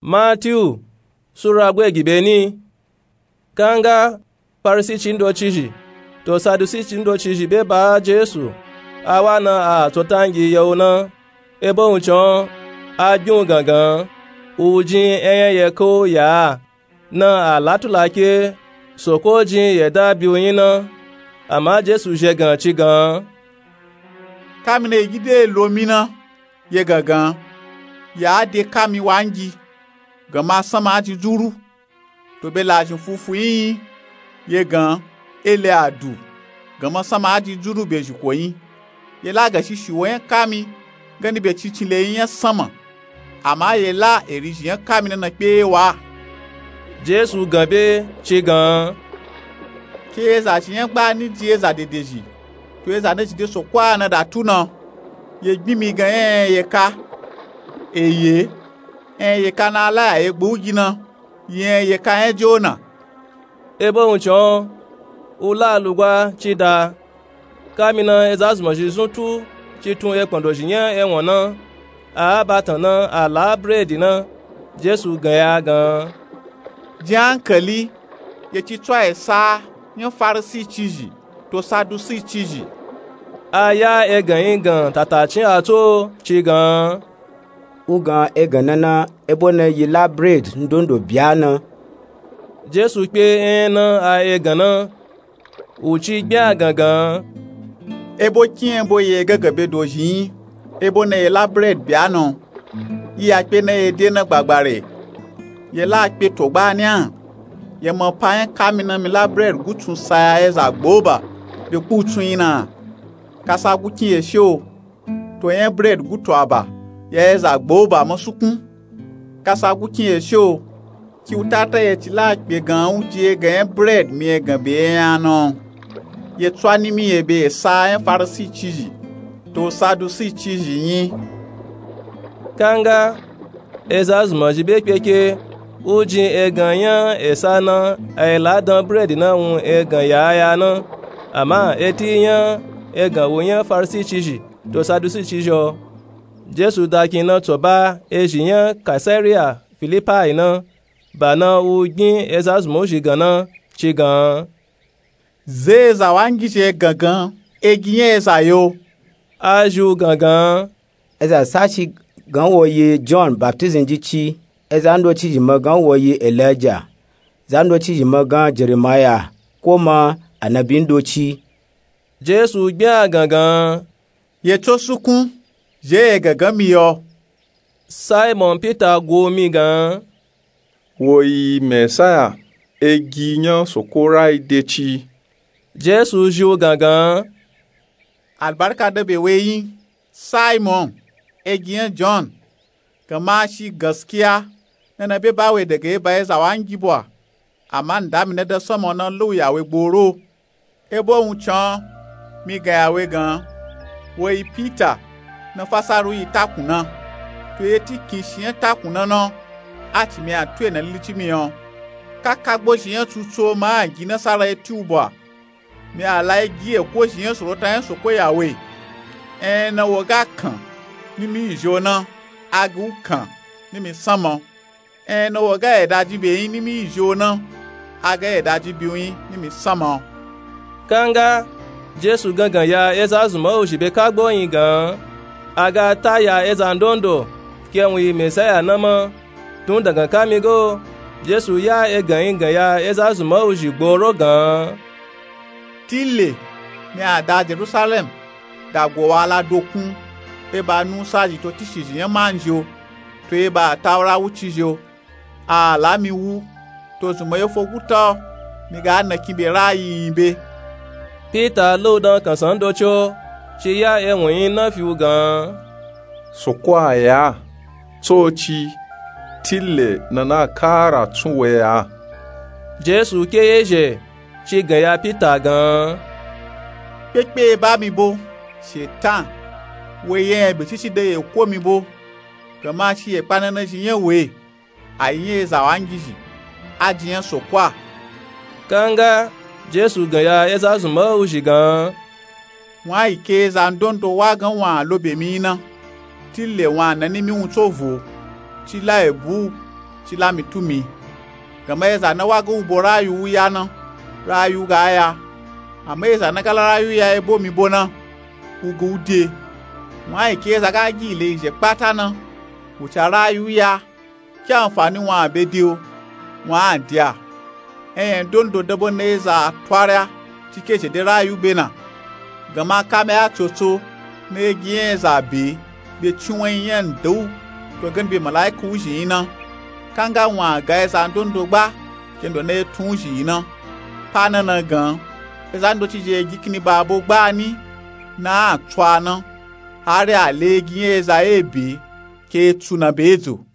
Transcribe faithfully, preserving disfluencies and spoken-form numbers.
Matiyu sura gwe gi beni. Kanga farisi ci ndocizhi to sadusi ci ndocizhi be ba jesu, a wa na a tsotangi ye u na. Ebo wuncin o a gbi u gangan, u jin eyan yeka u ya a na a la tula ke soko jin yeda bi u nyi na. Ama jesu zhegan ci gan, kami na i gide lo mi na ye gangan, ya a de kami wangi, ganma sanma a ji duru. To be lazhin fufu nyi nyi ye gan, e le a du, ganma sanma a ji duru be zhiko nyi. Ye la gan shishi wo nya kami gani be cincin le nyi nya sanma, ama ye la eri zhi nya kami na na kpe wa. Jesu gan be ci gan, ke eza zhi nya gba ni di eza dedezhi to eza na zhi de soko a na da tu na. Ye gbin mi gan nya nya yeka, eye nya nya yeka na a la ya ye gba u gi na, ye nya nya yeka nya jona. Ebo wuncin o u la lugwa ci da. Kami na eza zunmazhi zun tu ci tun ekpandozhi nya ewon na, a a batan na a la bredi na. Jesu gan ya gan, jin ankali ye ci tswa esa nya farisi cizhi to sadusi cizhi. A ya egan nyi gan tatacin a tso ci gan, u gan egan na na, ebo na yi la bredi ndondo bya na. Jesu kpe enya na a egan na, u ci gbin a gangan, ebo kin ebo ye gangan be dozhi nyi, ebo na ye la bredi bya na. Yi ya kpe na ye de na gbagbare, ye la kpe to gba ni a. Ye ma pa nya kami na mi la bredi gutsun sa ya eza gba u ba be kpu u tsun nyi na? Kasa gu kin ye she o, to nya bredi gutu a ba ya eza gba u ba ma sukun. Kasa gu kin ye she o, ki u tata ye ci la kpe gan u di egan nya bredi mi egan be nya na? Ye tswa ni mi ye be esa nya farisi cizhi to sadusi cizhi nyi. Kanga eza zunmazhi be kpe ke u jin egan nya esa na, a yi la dan bredi na wun egan ya a ya na. Ama eti nya egan wu nya farisi cizhi to sadusi cizhi o. Jesu da kin na tso ba ezhi nya kaisariya filipai na. Ba na u gbin eza zunmazhi gan na ci gan, ze eza wangi zhi egan gan, egi nya eza yo? A zhi u gangan, eza sashi gan wo yi jon baptizim ji ci, eza ndocizhi ma gan wo yi elija, za ndocizhi ma gan jeremaya, ko ma anabi ndoci. Jesu gbin a gangan, ye tso sukun, zhi ye gangan mi yo. Simon pita gu u mi gan, wo yi mesaya, egi nya soko rai de ci. Jesu zhi u gangan, albarka da be we nyi, simon egi nya jon. Ganma shi gaskiya na na be ba we daga eba eza wangi bwa, ama nda mi na da sanma na la u ya we gboro. Ebo wuncin o mi gan ya we gan, wo yi pita na fasaru yi takun na. To ye ti kin shi nya takun na na, a ci mi a tu ye na lili ci mi o. Kaka gbozhi nya tsutsu o ma a gi nasara ye ti u bwa. Mi a la egi eko zhi nya sorota nya soko ya we. Enya na wo ga kan ni mi yi zhi o na, a ga u kan ni mi sanma. Enya na wo ga yeda jin be nyi ni mi yi zhi o na, a ga yeda jin be u nyi ni mi sanma. Kanga jesu gangan ya eza zunmazhi be kagbo nyi gan, a ga ta ya eza ndondo ke wun yi mesaya na ma. Tun dangan kami ga o, jesu ya egan nyi gan ya eza zunmazhi gboro gan, tile mi a da jerusalem da go wa la dokun, eba nusa zhi to tishizhi nya manzhi o, to eba ataura wuci zhi o. A la mi wu, to zunma ye fo guta o, mi ga na kin be rayi nyi be. Pita la u dan kansan ndoci o, ci ya ewun nyi na fi u gan, soko a ya, tsoci, tile na na kara tsun we a. Jesu ke ye zhe ci gan ya pita gan, kpekpe ba mi bo, shetan. We ye nya be cici da ye ko mi bo. Ganma shi ye kpa na na zhi nya we, a yi nya eza wangizhi, a jin nya soko a. Kanga jesu gan ya eza zunmawuzhi gan, wun a yi ke eza ndondo wa gan wun a lo be mi nyi na, tile wun a na ni mi wun tso vo, ci la ebu u, ci la mi tu mi. Gama eza na wa ga u bo rayu u ya na, rayu ga ya. Ama eza na ga la rayu ya e bo mi bo na, u ga u de. Wun a yi ke eza ga gi ile izhe kpata na, u ca rayu ya, ki anfani wun a be de o? Wun a de a. Eyan ndondo da bo na eza twari a, ci ke zhe de rayu be na. Gama kame a tsotso na e gi nya eza be, be cinwanyi nya nda u, to gani be malaika u zhi yi na. Kanga wun a ga eza ndondo gba, kendo na e tun u zhi yi na. Pa na na gan, eza ndoci zhe e gi kini ba bo gba ni, na a tsu a na, hari a le e gi nya eza e be, ke e tsu na be edzo.